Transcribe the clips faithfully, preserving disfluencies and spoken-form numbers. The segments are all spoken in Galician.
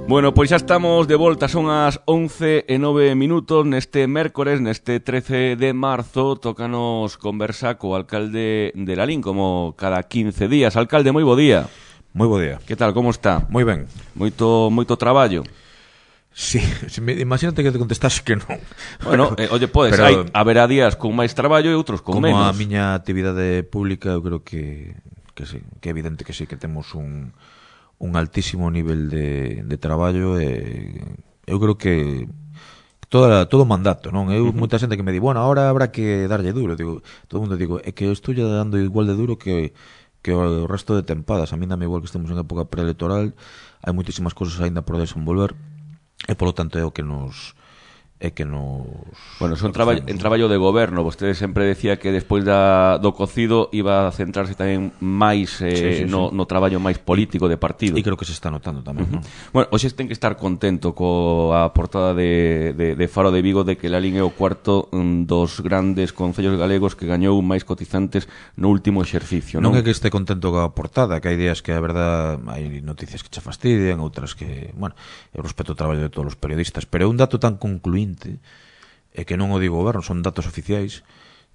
Bueno, pois xa estamos de volta, son as once e nove minutos neste mércores, neste trece de marzo, tócanos conversa co alcalde de Lalín, como cada quince días. Alcalde, moi bo día. Moi bo día. Que tal, como está? Moi ben. Moito moito traballo. Sí, imagínate que te contestas que non. Bueno, eh, oye, podes, pero, hai, haberá días con máis traballo e outros con como menos. Como a miña actividade pública, eu creo que, que sí, que é evidente que sí, que temos un... un altísimo nivel de, de traballo e eu creo que toda, todo o mandato, non? Eu, uh-huh. Moita xente que me di, bueno, ahora habrá que darlle duro, digo, todo o mundo digo, é que eu estou dando igual de duro que, que o resto de tempadas, a mí dame igual que estemos en época preelectoral, hai moitísimas cousas aínda por desenvolver e polo tanto é o que nos é que nos... Bueno, son traballo, en traballo de goberno. Vostede sempre decía que despois da, do cocido iba a centrarse tamén máis eh, sí, sí, no, sí. no traballo máis político de partido. E creo que se está notando tamén, uh-huh. ¿no? Bueno, hoxe ten que estar contento coa portada de, de, de Faro de Vigo de que Lalín é o cuarto um, dos grandes concellos galegos que gañou máis cotizantes no último exercicio, non? Non é que este contento coa portada, que hai días que a verdad hai noticias que che fastidian, outras que, bueno, eu respeto o traballo de todos os periodistas, pero é un dato tan concluinte e que non o digo goberno, son datos oficiais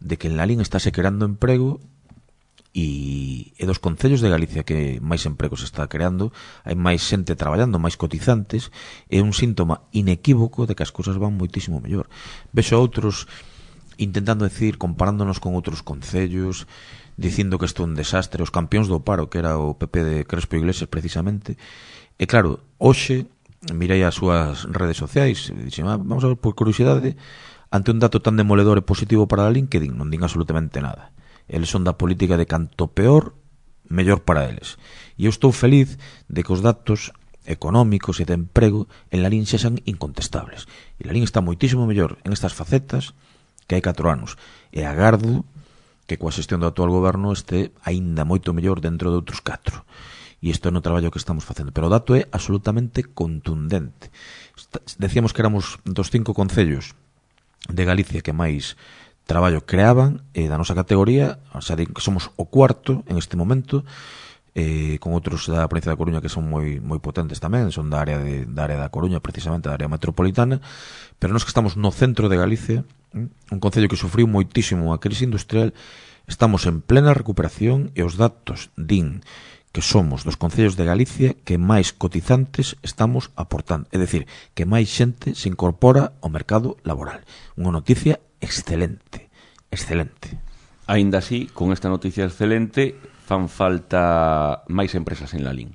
de que en Lalín estáse creando emprego e, e dos concellos de Galicia que máis empregos está creando, hai máis xente traballando, máis cotizantes, é un síntoma inequívoco de que as cousas van moitísimo mellor. Vexo outros intentando decir, comparándonos con outros concellos, dicindo que isto é un desastre, os campións do paro, que era o P P de Crespo Iglesias precisamente, e claro, hoxe mirei as súas redes sociais e dixen, ah, vamos a ver por curiosidade, ante un dato tan demoledor e positivo para Lalín, que din, non din absolutamente nada. Eles son da política de canto peor, mellor para eles. E eu estou feliz de que os datos económicos e de emprego en Lalín sexan incontestables. E Lalín está moitísimo mellor en estas facetas que hai catro anos. E agardo que coa xestión do actual goberno este aínda moito mellor dentro de outros catro. E isto é no traballo que estamos facendo, pero o dato é absolutamente contundente. Decíamos que éramos dos cinco concellos de Galicia que máis traballo creaban e da nosa categoría, o sea, que somos o cuarto en este momento, eh, con outros da provincia da Coruña que son moi moi potentes tamén, son da área de da área da Coruña, precisamente da área metropolitana, pero nós que estamos no centro de Galicia, un concello que sufriu moitísimo a crise industrial, estamos en plena recuperación e os datos din que somos dos concellos de Galicia que máis cotizantes estamos aportando. É dicir, que máis xente se incorpora ao mercado laboral. Unha noticia excelente. Excelente. Aínda así, con esta noticia excelente, fan falta máis empresas en Lalín.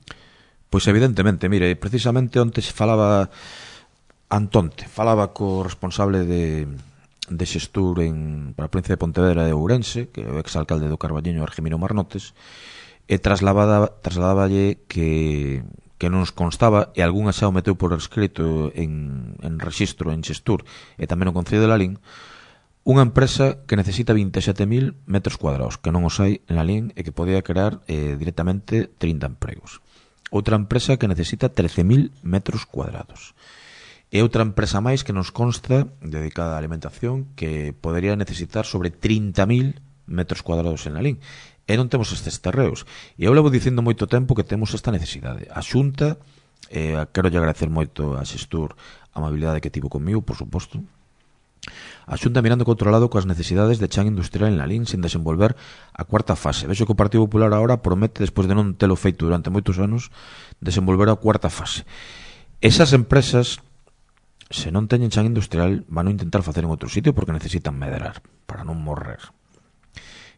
Pois evidentemente, mire, precisamente onte se falaba Antonte, falaba co responsable de, de xestur en, para a provincia de Pontevedra de Ourense, que é o exalcalde do Carballiño, Argemiro Marnotes, e trasladáballe que, que non nos constaba, e algunha xa o meteu por escrito en, en rexistro, en xestur, e tamén no Concello de Lalín, unha empresa que necesita veinte e sete mil metros cuadrados, que non os hai en Lalín e que podía crear eh, directamente trinta empregos. Outra empresa que necesita trece mil metros cuadrados. E outra empresa máis que nos consta, dedicada á alimentación, que podería necesitar sobre trinta mil metros cuadrados en Lalín. E non temos estes terreos. E eu levo dicindo moito tempo que temos esta necesidade. A Xunta, eh, quero lle agradecer moito a xestur a amabilidade que tivo comigo, por suposto. A Xunta mirando que outro lado coas necesidades de chan industrial en Lalín sin desenvolver a cuarta fase. Vexo que o Partido Popular agora promete, despois de non telo feito durante moitos anos, desenvolver a cuarta fase. Esas empresas, se non teñen chan industrial, van a intentar facer en outro sitio porque necesitan medrar para non morrer.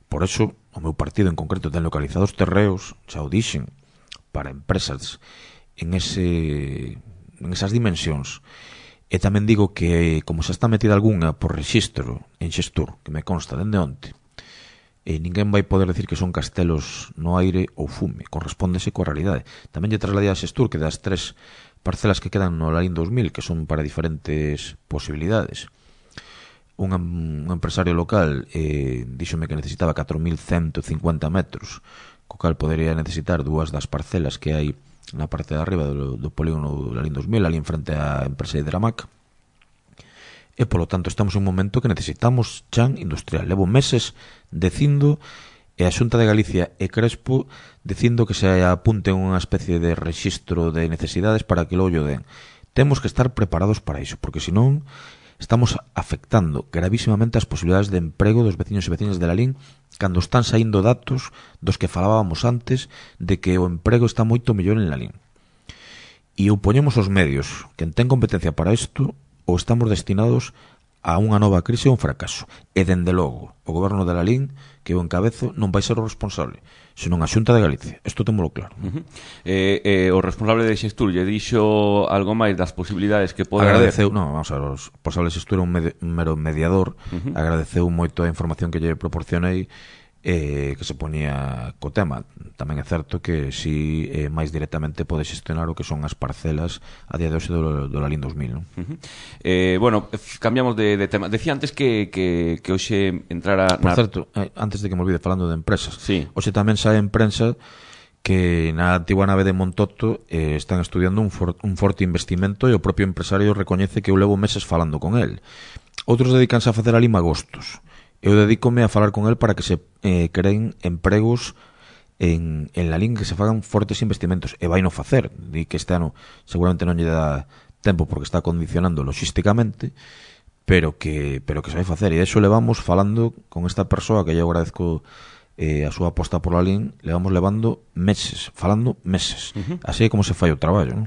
Por eso, o meu partido en concreto ten localizados terreos, xa o dixen, para empresas en ese en esas dimensións. E tamén digo que, como xa está metida algunha por rexistro en xestur, que me consta dende onte, e ninguén vai poder decir que son castelos no aire ou fume, correspóndese coa realidade. Tamén lle trasladei a xestur que das tres parcelas que quedan no Lalín dos mil, que son para diferentes posibilidades, un, un empresario local eh, díxome que necesitaba catro mil ciento cincuenta metros, co cal podería necesitar dúas das parcelas que hai na parte de arriba do, do polígono do Lalín dos mil, ali en frente á empresa de Dramac. E, polo tanto, estamos en un momento que necesitamos chan industrial. Levo meses dicindo e a Xunta de Galicia e Crespo dicindo que se apunten unha especie de rexistro de necesidades para que logo den. Temos que estar preparados para iso, porque senón estamos afectando gravísimamente as posibilidades de emprego dos veciños e veciñas de Lalín cando están saindo datos dos que falábamos antes de que o emprego está moito mellor en Lalín. E ou poñemos os medios que ten competencia para isto ou estamos destinados a unha nova crise ou un fracaso. E, dende logo, o goberno de Lalín, que eu encabezo, non vai ser o responsable, senón a Xunta de Galicia. Isto témolo claro. Uh-huh. eh, eh, o responsable de Xestur lle dixo algo máis das posibilidades que pode agradeceu, haber? Non, vamos a ver, o responsable de Xestur é un, med- un mero mediador, uh-huh. agradeceu moito a información que lle proporcionei, eh, que se ponía co tema. Tamén é certo que si eh, máis directamente pode xestionar o que son as parcelas a día de hoxe do, do Lalín dos mil, non? Uh-huh. eh, bueno, cambiamos de, de tema. Decía antes que, que, que hoxe entrara... Por na... certo, eh, antes de que me olvide falando de empresas, sí. Hoxe tamén sae en prensa que na antigua nave de Montoto eh, están estudiando un, for, un forte investimento e o propio empresario recoñece que eu levo meses falando con el. Outros dedicanse a facer ali magostos. Eu dedícome a falar con el para que se eh, creen empregos en, en Lalín, que se fagan fortes investimentos, e vai no facer. Di que este ano seguramente non lle dá tempo porque está condicionando logísticamente, pero que pero que se vai facer, e iso levamos falando con esta persoa que eu agradezco eh, a súa aposta por Lalín, levamos levando meses, falando meses. Uh-huh. Así é como se fai o traballo, non?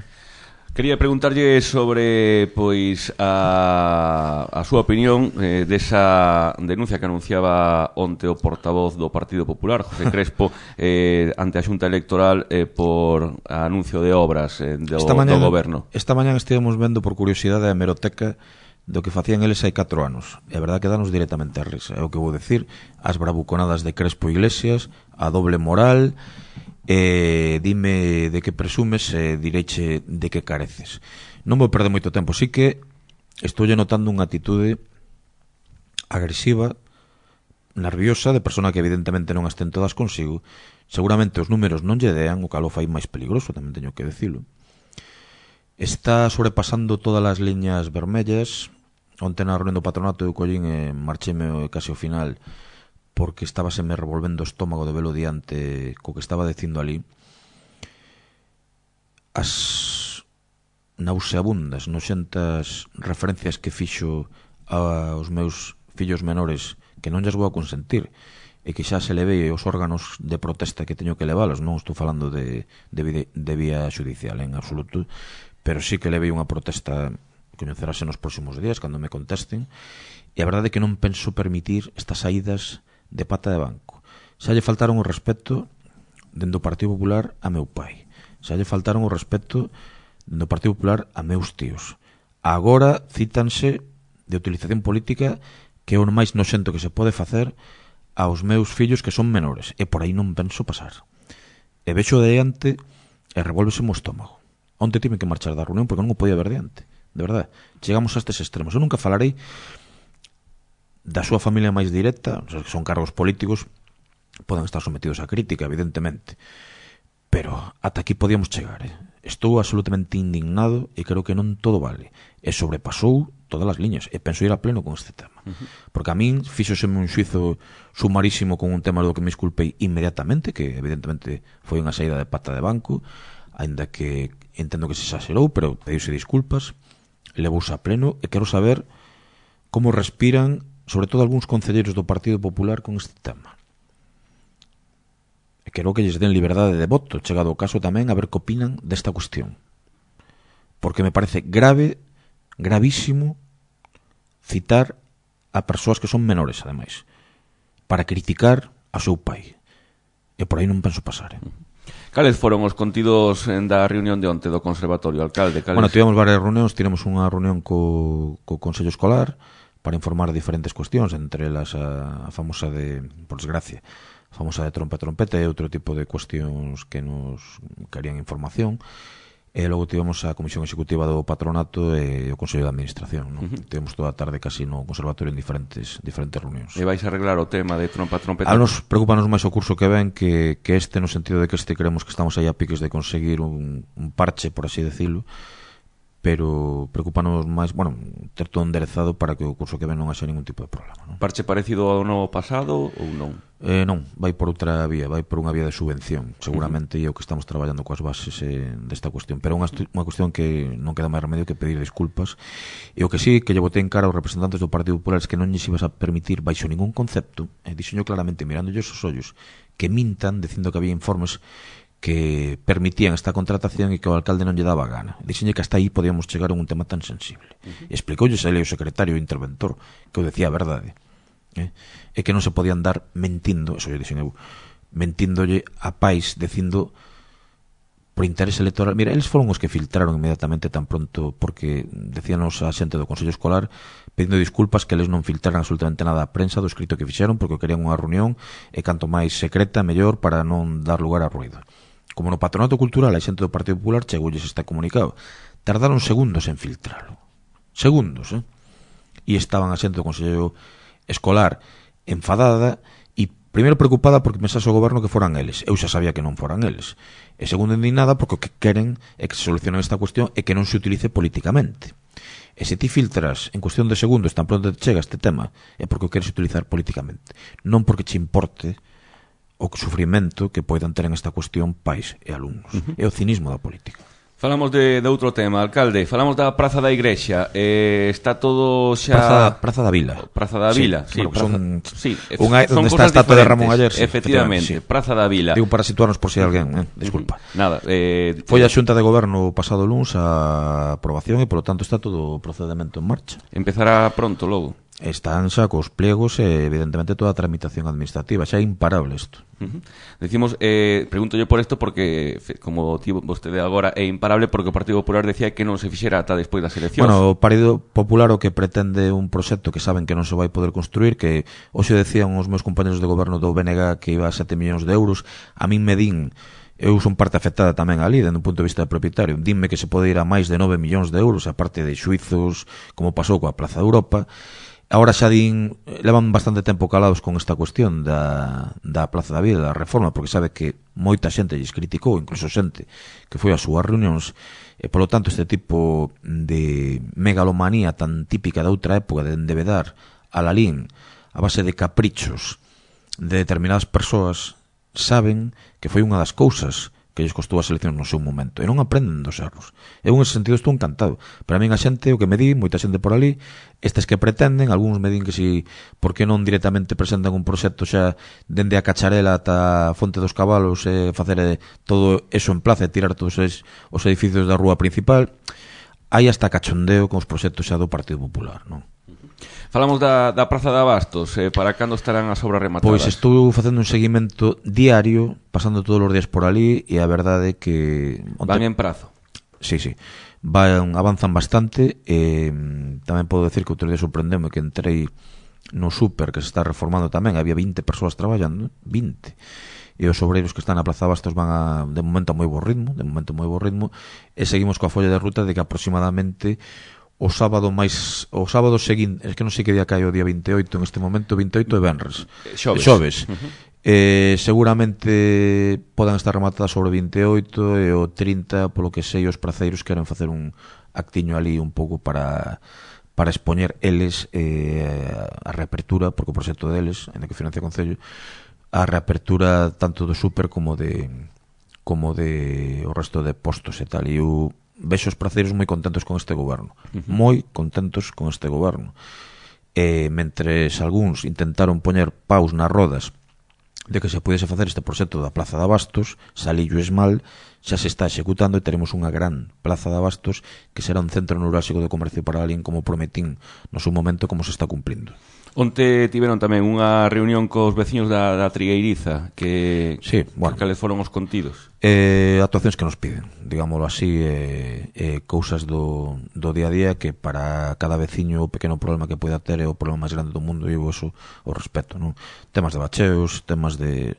Quería preguntarlle sobre pois a, a súa opinión eh, desa denuncia que anunciaba onte o portavoz do Partido Popular, José Crespo, eh, ante a Xunta Electoral eh, por anuncio de obras eh, do, esta mañan, do goberno. Esta mañan estivemos vendo por curiosidade a hemeroteca do que facían eles hai catro anos. E a verdade que danos directamente a risa. É o que vou decir, as bravuconadas de Crespo Iglesias, a doble moral... Eh, dime de que presumes e eh, direiche de que careces. Non vou perder moito tempo, sí que estou notando unha atitude agresiva, nerviosa, de persona que evidentemente non as ten todas consigo. Seguramente os números non lle dean, o calo fai máis peligroso, tamén teño que decilo. Está sobrepasando todas as liñas vermellas. Onte na reunión do patronato eu collín e marcheme case ao final porque estaba se me revolvendo o estómago de velo diante co que estaba dicindo ali. As nauseabundas, noxentas referencias que fixo aos meus fillos menores que non lles vou a consentir e que xa se levei os órganos de protesta que teño que levalos, non estou falando de, de, de vía judicial en absoluto, pero sí que levei unha protesta que coñecerase nos próximos días cando me contesten, e a verdade é que non penso permitir estas saídas de pata de banco. Xa lle faltaron o respeto dentro do Partido Popular a meu pai. Xa lle faltaron o respeto dentro do Partido Popular a meus tíos. Agora cítanse de utilización política que é o máis noxento que se pode facer aos meus fillos que son menores. E por aí non penso pasar. E vexo de diante e revolvese o estómago. Onte tive que marchar da reunión porque non o podía ver diante. De verdade, chegamos a estes extremos. Eu nunca falarei da súa familia máis directa, que son cargos políticos, poden estar sometidos a crítica, evidentemente, pero ata aquí podíamos chegar, eh? Estou absolutamente indignado e creo que non todo vale, e sobrepasou todas as liñas, e penso ir a pleno con este tema, uh-huh. porque a min fíxoseme un xuizo sumarísimo con un tema do que me disculpei inmediatamente, que evidentemente foi unha saída de pata de banco, aínda que entendo que se exagerou, pero pediuse disculpas, levouse a pleno, e quero saber como respiran sobre todo algúns concelleiros do Partido Popular con este tema. E quero que lles den liberdade de voto, chegado o caso tamén a ver que opinan desta cuestión. Porque me parece grave, gravísimo, citar a persoas que son menores, ademais, para criticar a seu pai. E por aí non penso pasar, eh? Cales foron os contidos da reunión de onte do Conservatorio, alcalde? Cales... Bueno, tivemos varias reunións, tivemos unha reunión co, co Consello Escolar, para informar de diferentes cuestións, entre elas a, a famosa de, por desgracia, a famosa de trompa e trompeta e outro tipo de cuestións que nos querían información. E logo tivemos a Comisión Executiva do Patronato e o Consello de Administración, non? Uh-huh. Tivemos toda a tarde casi no Conservatorio en diferentes diferentes reunións. E vais a arreglar o tema de trompa e trompeta? A nos preocupanos máis o curso que ven que, que este, no sentido de que este creemos que estamos aí a piques de conseguir un, un parche, por así decirlo, pero preocupanos máis, bueno, ter todo enderezado para que o curso que ven non haxa ningún tipo de problema, non? Parche parecido ao ano pasado ou non? Eh, non, vai por outra vía, vai por unha vía de subvención, seguramente, uh -huh. E o que estamos traballando coas bases eh, desta cuestión, pero unha, unha cuestión que non queda máis remedio que pedir disculpas, e o que sí que lle botei en cara aos representantes do Partido Popular es que non lles ibas a permitir baixo ningún concepto, e dixeño claramente mirándolles os ollos, que mintan dicindo que había informes que permitían esta contratación e que o alcalde non lle daba gana. Dixenlle que hasta aí podíamos chegar a un tema tan sensible. Uh -huh. Explicoulles ele o secretario o interventor que o decía a verdade. Eh? E que non se podían dar mentindo, eso lle dixen eu, mentíndolle a pais dicindo por interés electoral. Mira, eles foron os que filtraron inmediatamente tan pronto, porque decíanos a xente do Consello Escolar pedindo disculpas que eles non filtraran absolutamente nada a prensa do escrito que fixeron, porque querían unha reunión e canto máis secreta mellor para non dar lugar a ruido. Como no Patronato Cultural a xente do Partido Popular chegoulles este comunicado, tardaron segundos en filtralo, segundos, eh? E estaban a xente do Consello Escolar enfadada e primeiro preocupada porque pensase o goberno que foran eles. Eu xa sabía que non foran eles. E segundo indignada porque o que queren é que se solucione esta cuestión e que non se utilice políticamente. E se ti filtras en cuestión de segundos tan pronto te chega este tema é porque o queres utilizar políticamente, non porque che importe o sufrimento que poidan ter en esta cuestión pais e alumnos. Uh -huh. É o cinismo da política. Falamos de, de outro tema, alcalde. Falamos da Praza da Igrexa. Eh, está todo xa... Praza, Praza da Vila. Praza da Vila, sí. sí, bueno, Praza... son... sí Unha, son onde está a estatua de Ramón Aller. Sí, efectivamente, sí. Praza da Vila. Digo para situarnos por si alguén, eh? Disculpa. Nada. Eh... Foi a Xunta de Goberno pasado luns a aprobación e, polo tanto, está todo o procedimento en marcha. Empezará pronto, logo. Están xa cos pliegos e, evidentemente, toda a tramitación administrativa. Xa é imparable isto. Uh -huh. Decimos, eh, pregunto yo por isto porque, como tivo vostede agora, é imparable porque o Partido Popular decía que non se fixera ata despois das eleccións. Bueno, o Partido Popular o que pretende un proxecto que saben que non se vai poder construir, que hoxe decían os meus compañeros de goberno do B N G que iba a sete millóns de euros, a min me din, eu son parte afectada tamén ali, dende un punto de vista de propietario, dinme que se pode ir a máis de nove millóns de euros, aparte de xuizos, como pasou coa Plaza de Europa. Ahora xa din, levan bastante tempo calados con esta cuestión da, da Plaza da Vila, da reforma, porque sabe que moita xente lles criticou, incluso xente que foi ás súas reunións, e polo tanto este tipo de megalomanía tan típica da outra época de endevedar a Lalín a base de caprichos de determinadas persoas, saben que foi unha das cousas que lles costou as eleccións no seu momento, e non aprenden dos erros. Eu, en ese sentido, estou encantado. Para min a xente, o que me di, moita xente por ali, estes que pretenden, algúns me din que si, por que non directamente presentan un proxecto xa dende a Cacharela ata a Fonte dos Cabalos e facer eh, todo eso en plaza e tirar todos os, os edificios da rúa principal. Hai hasta cachondeo con os proxectos xa do Partido Popular, non? Falamos da, da Praza de Abastos, eh, para cando estarán as obras rematadas? Pois estou facendo un seguimento diario, pasando todos os días por ali, e a verdade é que... Van en prazo? Sí, sí, van, avanzan bastante, e tamén podo decir que outro día sorprendeume que entrei no súper que se está reformando tamén, había vinte persoas traballando, vinte, e os obreiros que están na Praza de Abastos van a, de momento a moi bo ritmo, de momento a moi bo ritmo, e seguimos coa folla de ruta de que aproximadamente o sábado máis o sábado seguinte, es que non sei que día cae o día vinte e oito en este momento, vinte e oito é venres. Xoves. Xoves. Uh -huh. Eh, seguramente podan estar rematadas sobre vinte e oito e o trinta, polo que sei, os praceiros queren facer un actiño ali un pouco para para expoñer eles eh, a reapertura, porque o proxecto deles, en que financia o Concello, a reapertura tanto do súper como de como de o resto de postos e tal. E o vexo os praceiros moi contentos con este goberno, uh -huh. moi contentos con este goberno, e mentres algúns intentaron poñer paus nas rodas de que se pudese facer este proxecto da Plaza de Abastos, salillo esmal, xa se está executando e teremos unha gran Plaza de Abastos que será un centro neurálxico de comercio para alguén, como prometín no seu momento, como se está cumplindo. Onte tiveron tamén unha reunión cos veciños da, da Trigueiriza que, sí, bueno, que cales foron os contidos? Eh, actuacións que nos piden, digámoslo así, eh, eh, cousas do, do día a día que para cada veciño o pequeno problema que poida ter é o problema máis grande do mundo, e eu eso o respeto, non? Temas de bacheos, temas de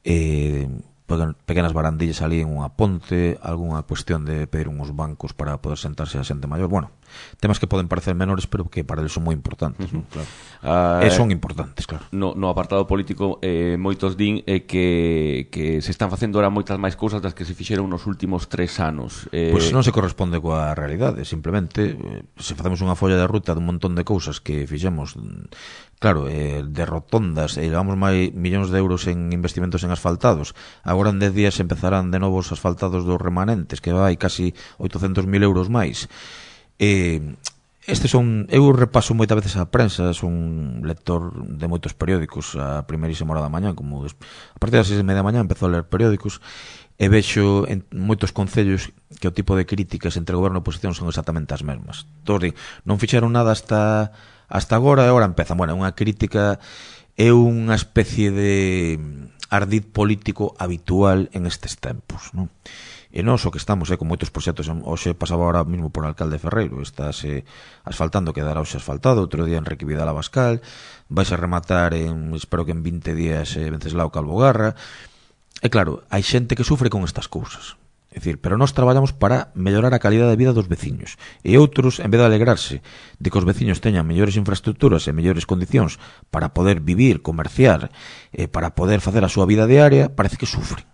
eh, pequenas barandillas ali en unha ponte, algunha cuestión de pedir uns bancos para poder sentarse a xente maior. Bueno, temas que poden parecer menores, pero que para eles son moi importantes, uh -huh. ¿no? Claro. Uh, e son importantes, claro. No, no apartado político, eh, moitos din eh, que, que se están facendo ahora moitas máis cousas das que se fixeron nos últimos tres anos. Eh... Pois pues non se corresponde coa realidade, simplemente eh, se facemos unha folla de ruta dun montón de cousas que fixemos, claro, eh, de rotondas, e eh, levamos máis millóns de euros en investimentos en asfaltados. Agora en dez días empezarán de novo os asfaltados dos remanentes, que vai casi oitocentos mil euros máis. Eh, estes son, eu repaso moitas veces a prensa, son lector de moitos periódicos a primeirísima hora da mañá, como des... a partir das seis e media da mañá empezo a ler periódicos e vexo en moitos concellos que o tipo de críticas entre goberno e oposición son exactamente as mesmas. Todos din, non fixeron nada hasta hasta agora e agora empezan. Bueno, unha crítica é unha especie de ardid político habitual en estes tempos, non? E non só que estamos eh, con moitos proxectos. Hoxe pasaba ahora mismo por Alcalde Ferreiro, estáse asfaltando, quedará hoxe asfaltado, outro día en Enrique Vidal Abascal, vais a rematar en, espero que en vinte días eh, Venceslao Calvogarra. E claro, hai xente que sufre con estas cousas, é dicir, pero nós traballamos para mellorar a calidad de vida dos veciños, e outros, en vez de alegrarse de que os veciños teñan mellores infraestructuras e mellores condicións para poder vivir, comerciar, e para poder facer a súa vida diaria, parece que sufren,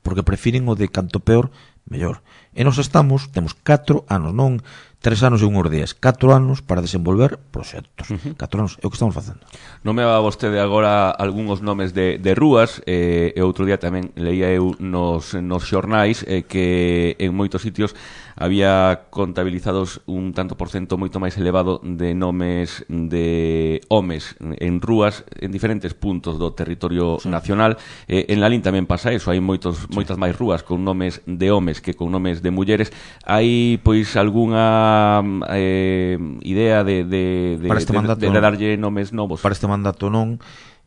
porque prefiren o de canto peor, mellor. E nos estamos, temos catro anos, non tres anos e unhos días, catro anos para desenvolver proxectos. Uh -huh. catro anos é o que estamos facendo. Non me va vostede agora algúns nomes de, de rúas, eh, e outro día tamén leía eu nos, nos xornais eh, que en moitos sitios había contabilizados un tanto por cento moito máis elevado de nomes de homes en rúas en diferentes puntos do territorio sí. nacional. Eh, en Lalín tamén pasa eso, hai moitos, sí. moitas máis rúas con nomes de homes que con nomes de mulleres. Hai, pois, algunha eh, idea de, de, de, este mandato, de, de darlle nomes novos? Para este mandato non.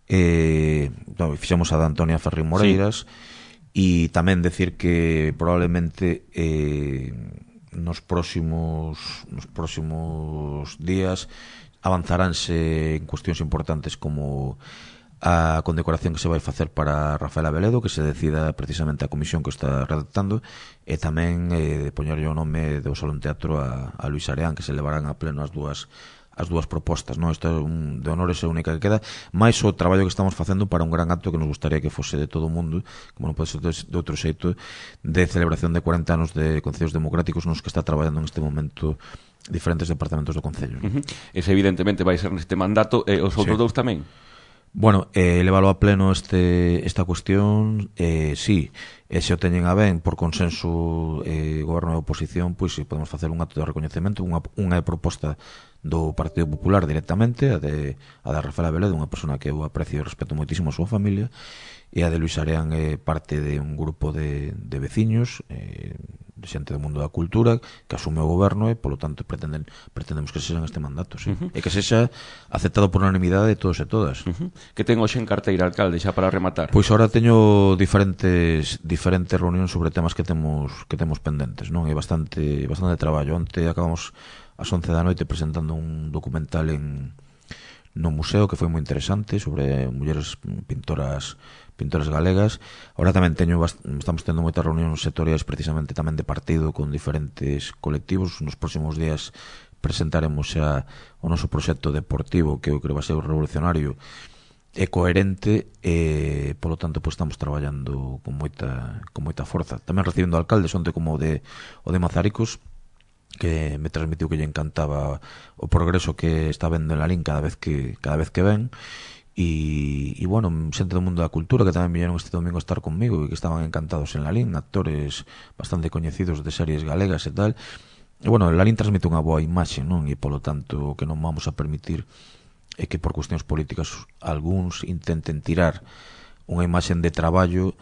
Eh, no, fixemos a da Antonia Ferrín Moreiras, e sí. tamén decir que probablemente eh, nos próximos nos próximos días avanzaránse en cuestións importantes como a condecoración que se vai facer para Rafael Abeledo, que se decida precisamente a comisión que está redactando, e tamén eh, poñerlle o nome do Salón Teatro a, a Luis Areán, que se levarán a pleno as dúas as dúas propostas, non? Isto é un, de honores é a única que queda, máis o traballo que estamos facendo para un gran acto que nos gustaría que fose de todo o mundo, como non pode ser de outro xeito, de celebración de cuarenta anos de concellos democráticos nos que está traballando en este momento diferentes departamentos do concello. Uh -huh. Ese evidentemente vai ser neste mandato, e os outros sí. dous tamén? Bueno, eh, levalo a pleno este esta cuestión, eh, sí, e se o teñen a ben por consenso eh, goberno e oposición, pois pues, podemos facer un acto de recoñecemento, unha, unha proposta do Partido Popular directamente, a de, a de Rafael Abeledo, unha persona que eu aprecio e respeto moitísimo a súa familia, e a de Luis Areán é eh, parte de un grupo de, de veciños, eh, de xente do mundo da cultura, que asume o goberno e, polo tanto, pretenden, pretendemos que sexan este mandato, sí. Uh -huh. E que sexa aceptado por unanimidade de todos e todas. Uh -huh. Que ten hoxe en carteira, alcalde, xa para rematar? Pois ahora teño diferentes diferentes reunións sobre temas que temos que temos pendentes, non? É bastante bastante traballo. Onte acabamos ás once da noite presentando un documental en no museo que foi moi interesante sobre mulleres pintoras pintoras galegas. Ahora tamén teño estamos tendo moitas reunións sectoriais precisamente tamén de partido con diferentes colectivos. Nos próximos días presentaremos xa o noso proxecto deportivo, que eu creo vai ser revolucionario e coherente, e polo tanto pues, estamos traballando con moita con moita forza. Tamén recibindo alcaldes onte como o de o de Mazaricos, que me transmitiu que lle encantaba o progreso que está vendo en Lalín cada vez que cada vez que ven. E, e bueno, xente do mundo da cultura que tamén viñeron este domingo a estar conmigo e que estaban encantados en Lalín, actores bastante coñecidos de series galegas e tal. E bueno, Lalín transmite unha boa imaxe, non? E polo tanto o que non vamos a permitir é que por cuestións políticas algúns intenten tirar unha imaxe de traballo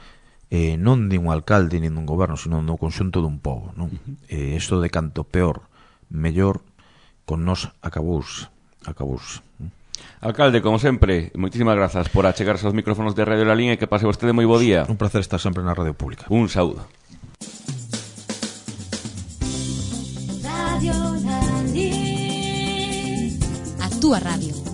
eh, non de un alcalde nin dun goberno, sino no conxunto dun pobo, non? Uh-huh. Eh, isto de canto peor, mellor, con nós acabouse, acabouse. Alcalde, como sempre, moitísimas grazas por achegarse aos micrófonos de Radio Lalín e que pase vostede moi bo día. Un placer estar sempre na radio pública. Un saúdo. Radio Lalín, a túa radio.